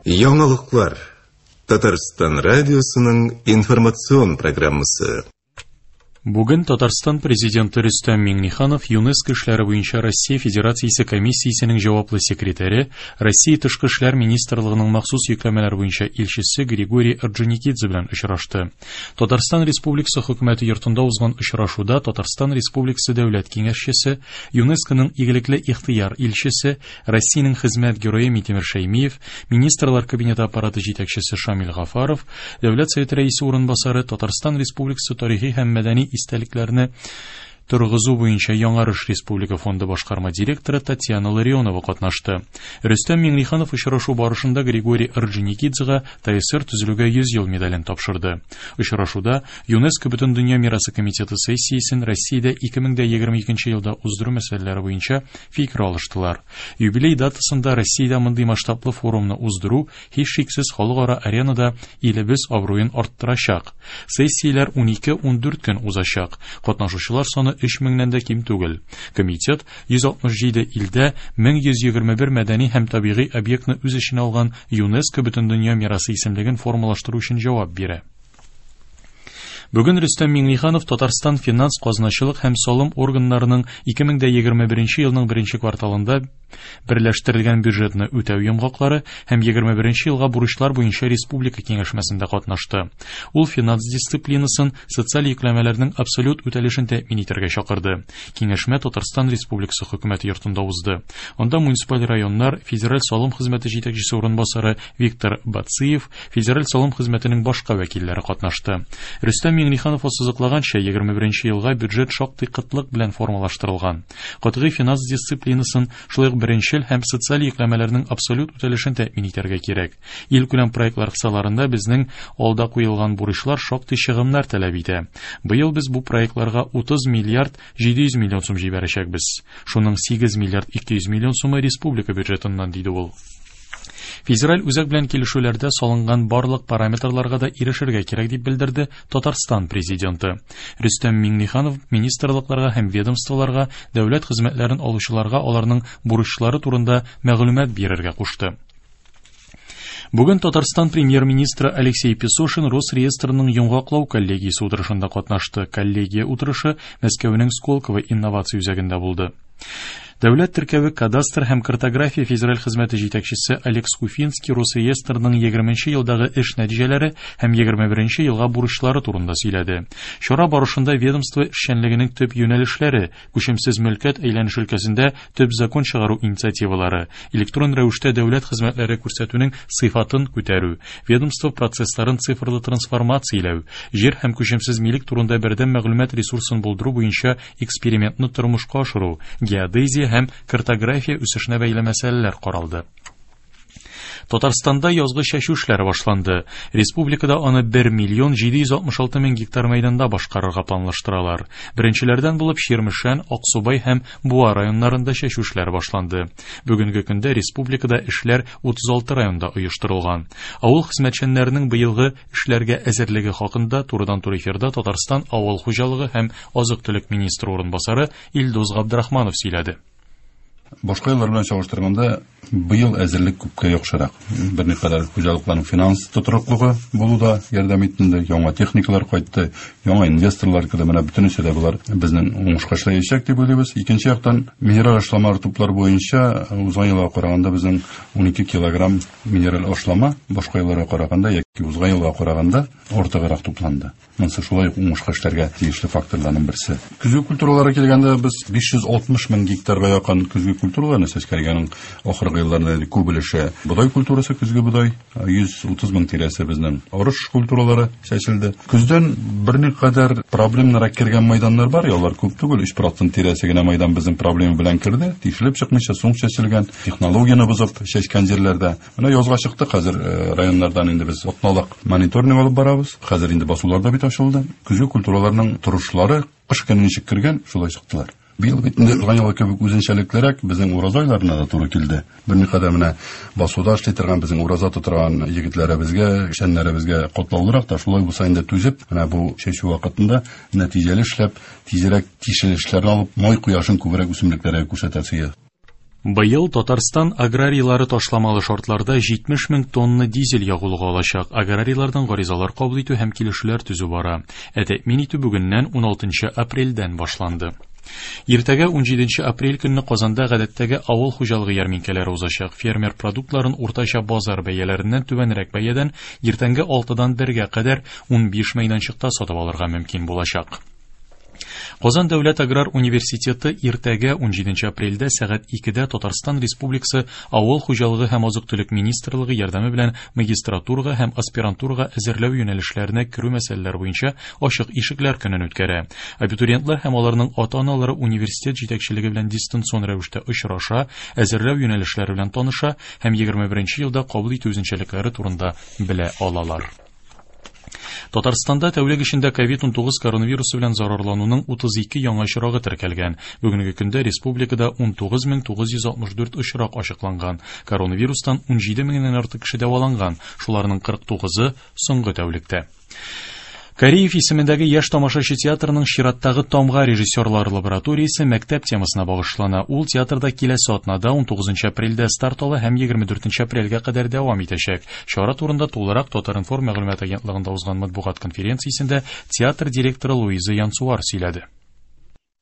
Яңалыклар. Татарстан радиосының информацион программасы. Бүген Татарстан Президенты Рөстәм Миңнеханов ЮНЕСКО эшләре буенча Россия Федерациясе комиссиясенең җаваплы секретаре, Россия Тышкы эшләр министрлыгының махсус йөкләмәләр буенча илчесе Григорий Орджоникидзе белән очрашты. Татарстан Республикасы Хөкүмәте йортында узган очрашуда Татарстан Республикасы Дәүләт Киңәшчесе, ЮНЕСКОның игелекле ихтыяр илчесе, Россиянең хезмәт герое Минтимер Шәймиев, Министрлар Кабинеты аппараты җитәкчесе Шамил Гафаров, Дәүләт Советы рәисе урынбасары, Татарстан Республикасы тарихи һәм мәдәни истәлекләрне торгызу буенча Яңарыш республика фонды башкарма директоры Татьяна Ларионова катнашты. Рөстәм Миңнеханов очрашу барышында Григорий Орджоникидзега ТАССР төзелүгә 100 ел медален тапшырды. Очрашуда ЮНЕСКО Бөтендөнья мирасы комитеты сессиясен Россиядә 2022 елда уздыру мәсьәләләре буенча фикер алыштылар. Юбилей датасында Россиядә мондый масштаблы форумны уздыру һичшиксез халыкара аренада илебез абруен арттырачак. Сессияләр 12-14 көн узачак. Катнашучылар саны 3 меңнән дә ким түгел. Комитет 167 илдә 1121 мәдәни һәм табигый объектны үз эченә алган ЮНЕСКО Бөтендөнья мирасы исемлеген формалаштыру өчен җавап бирә. Бүген Рөстәм Миңнеханов Татарстан финанс, казначылык һәм салым органнарының 2021 елның беренче кварталында берләштерелгән бюджетны үтәү йомгаклары һәм 21 елга бурычлар буенча республика киңәшмәсендә катнашты. Ул финанс дисциплинасын, социаль йөкләмәләрнең абсолют үтәлешен тәэмин итәргә чакырды. Киңәшмә Татарстан Республикасы Хөкүмәте йортында узды. Анда муниципаль районнар, Федераль салым хезмәте җитәкчесе урынбасары Виктор Бациев, Федераль салым хезмәтенең башка вәкилләре катнашты. Рөстәм Миңнеханов ассызыклаганча, 21 елга бюджет шактый кытлык белән формалаштырылган. Катгый финанс дисциплинасын, шулай ук беренчел һәм социаль йөкләмәләрнең абсолют үтәлешен тәэмин итәргә кирәк. Илкүләм проектлар кысаларында безнең алда куелган бурычлар шактый чыгымнар таләп итә. Быел без бу проектларга 30 миллиард 700 миллион сум җибәрәчәкбез. Шуның 8 миллиард 200 миллион сумы республика бюджетыннан, диде ул. Федераль үзәк белән килешүләрдә салынган барлык параметрларга да ирешергә кирәк, дип белдерде Татарстан Президенты. Рөстәм Миңнеханов министрлыкларга һәм ведомстволарга, дәүләт хезмәтләрен алучыларга аларның бурычлары турында мәгълүмат бирергә кушты. Бүген Татарстан премьер-министры Алексей Песошин Росреестрның йомгаклау коллегиясе утырышында катнашты. Коллегия утырышы Мәскәүнең Сколково инновация үзәгендә булды. Дәүләт теркәве кадастр һәм картография федераль хезмәте җитәкчесе Олег Скуфинский Росреестрның 20 елдагы эш нәтиҗәләре һәм 21 елга бурычлары турында сөйләде. Чара барышында ведомство эшчәнлегенең төп юнәлешләре, күчемсез мөлкәт әйләнеше өлкәсендә төп закон чыгару инициативалары, электрон рәвештә дәүләт хезмәтләре күрсәтүнең сыйфатын күтәрү, ведомство процессларын цифрлы трансформацияләү, җир һәм күчемсез милек турында бердәм мәгълүмат ресурсын булдыру буенча экспериментны тормышка ашыру, геодезия һәм картография үсешенә бәйле мәсьәләләр каралды. Татарстанда язгы чәчү эшләре башланды. Республикада аны 1 миллион 766 мең гектар мәйданда башкарырга планлаштыралар. Беренчеләрдән булып Чирмешән, Аксубай һәм Буа районнарында чәчү эшләре башланды. Бүгенге көндә республикада эшләр 36 районда оештырылган. Авыл хезмәтчәннәренең быелгы эшләргә әзерлеге хакында турыдан-туры эфирда Татарстан авыл хуҗалыгы һәм азык-төлек министры урынбасары Илдус Габдрахманов сөйләде. Башка еллар белән чагыштырганда, быел әзерлек күпкә яхшырак. Берникадәр хуҗалыкларның финанс тотрыклыгы булу да ярдәм итте инде. Яңа техникалар кайтты, яңа инвесторлар керде. Менә бөтенесе дә болар безнең уңышка эшләячәк дип уйлыйбыз. Икенче яктан, минераль ашламалар туплар буенча узган елга караганда безнең 12 килограмм минераль ашлама башка елларга караганда яки узган елга караганда артыграк тупланды. Монысы шулай ук уңышка эшләргә тиешле факторларның берсе. Көзге культураларга килгәндә, без 560 мең гектарга якын көзге культураларны чәчкән. Аның ахыргы елларда күп өлеше бодай культурасы, көзге бодай, 130 мең тирәсе безнең арыш культуралары чәчелде. Көздән берникадәр проблемнарга кергән мәйданнар бар, алар күп түгел, 3% тирәсе генә мәйдан безнең проблема белән керде, тишелеп чыкмыйча соң чәчелгән, технологияне бозып чәчкән җирләрдә. Менә язга чыктык, хәзер районнардан инде без атналык мониторинг алып барабыз. Хәзер инде басулар да бит ачылды. Көзге культураларның торышлары кыш көне ничек кергән, шулай чыктылар. Быел бит инде узган елгы кебек үзенчәлеклерәк безнең ураза айларына да туры килде. Берникадәр менә басуда эшли торган, безнең ураза тотырган егетләребезгә, эшчәннәребезгә катлаулырак та, шулай булса инде түзеп, менә бу чәчү вакытында нәтиҗәле эшләп, тизрәк тишелешләрне алып, май кояшын күбрәк үсемлекләргә күрсәтәсе. Быел Татарстан аграрийлары ташламалы шартларда 70 мең тонна дизель ягулыгы алачак. Аграрийлардан гаризалар кабул итү һәм килешүләр төзү бара. Ә тәэмин итү бүгеннән 16 апрельдән башланды. Иртәгә 17 апрель көнне Казанда гадәттәге авыл хуҗалыгы ярминкәләре узачак. Фермер продуктларын уртача базар бәяләреннән түбәнрәк бәядән иртәнге 6-дан 1-гә кадәр 15 мәйданчыкта сатып алырга мөмкин булачак. Казан дәүләт аграр университеты иртәгә 17 апрельдә сәгать 2-дә Татарстан Республикасы Авыл хуҗалыгы һәм азык-төлек министрлыгы ярдәме белән магистратурага һәм аспирантурага әзерләү юнәлешләренә керү мәсьәләләре буенча ачык ишекләр көнен үткәрә. Абитуриентлар һәм аларның ата-аналары университет җитәкчелеге белән дистанцион рәвештә очраша, әзерләү юнәлешләре белән таныша һәм 21 елда кабул итү үзенчәлекләре турында белә алалар. Татарстанда тәүлек эчендә COVID-19 коронавирусы белән зарарлануның 32 яңа очрагы теркәлгән. Бүгенге көндә республикада 19964 очрак ачыкланган. Коронавирустан 17 меңнән артык кеше дәваланган, шуларның 49-ы соңгы тәүлектә. Кариев исемендәге яшь тамашачы театрының чираттагы Тамга режиссерлар лабораториясе мәктәп темасына багышлана. Ул театрда киләсе атнада 19 апрельдә старт ала һәм 24 апрельгә кадәр дәвам итәчәк. Чара турында тулырак Татар-информ мәгълүмат агентлыгында узган матбугат конференциясендә театр директоры Луиза Янсуар сөйләде.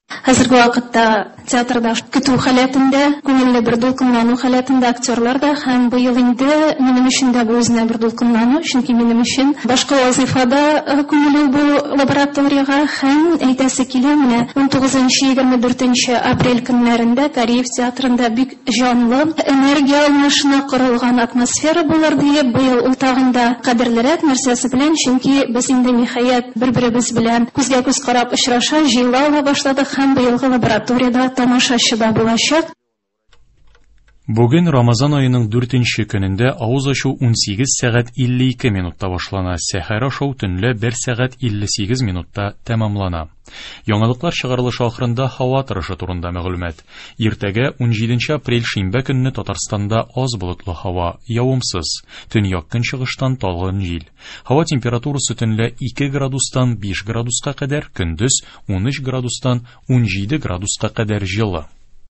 Хәзерге вакытта театрда көтү халәтендә, күңелле бер дулкынлану халәтендә актерлар да, һәм быел инде минем өчен дә бу үзенә бер дулкынлану, чөнки минем өчен башка вазифада күңелле бу лабораториягә, һәм әйтәсе килә, менә 19-24 апрель көннәрендә Кариев театрында бик җанлы энергия алмашына корылган атмосфера булыр диеп, быел ул тагын да кадерлерәк нәрсәсе белән, чөнки без инде ниһаять бер-беребез белән күзгә күз карап очраша, җыела ала башладык, һәм быелгы лабораторияда тамашачы да булачак. Бүген Рамазан аеның 4 көнендә авыз ачу 18 сәгать 52 минутта башлана, сәхәр ашау төнлә 1 сәгать 58 минутта тәмамлана. Яңалыклар чыгарылышы ахырында һава торышы турында мәгълүмат. Иртәгә 17 апрель шимбә көнне Татарстанда аз болытлы һава, явымсыз. Төньяк көнчыгыштан талгын җил. Һава температурасы төнлә 2 градустан 5 градуска кадәр, көндез 13 градустан 17 градуска кадәр җылы.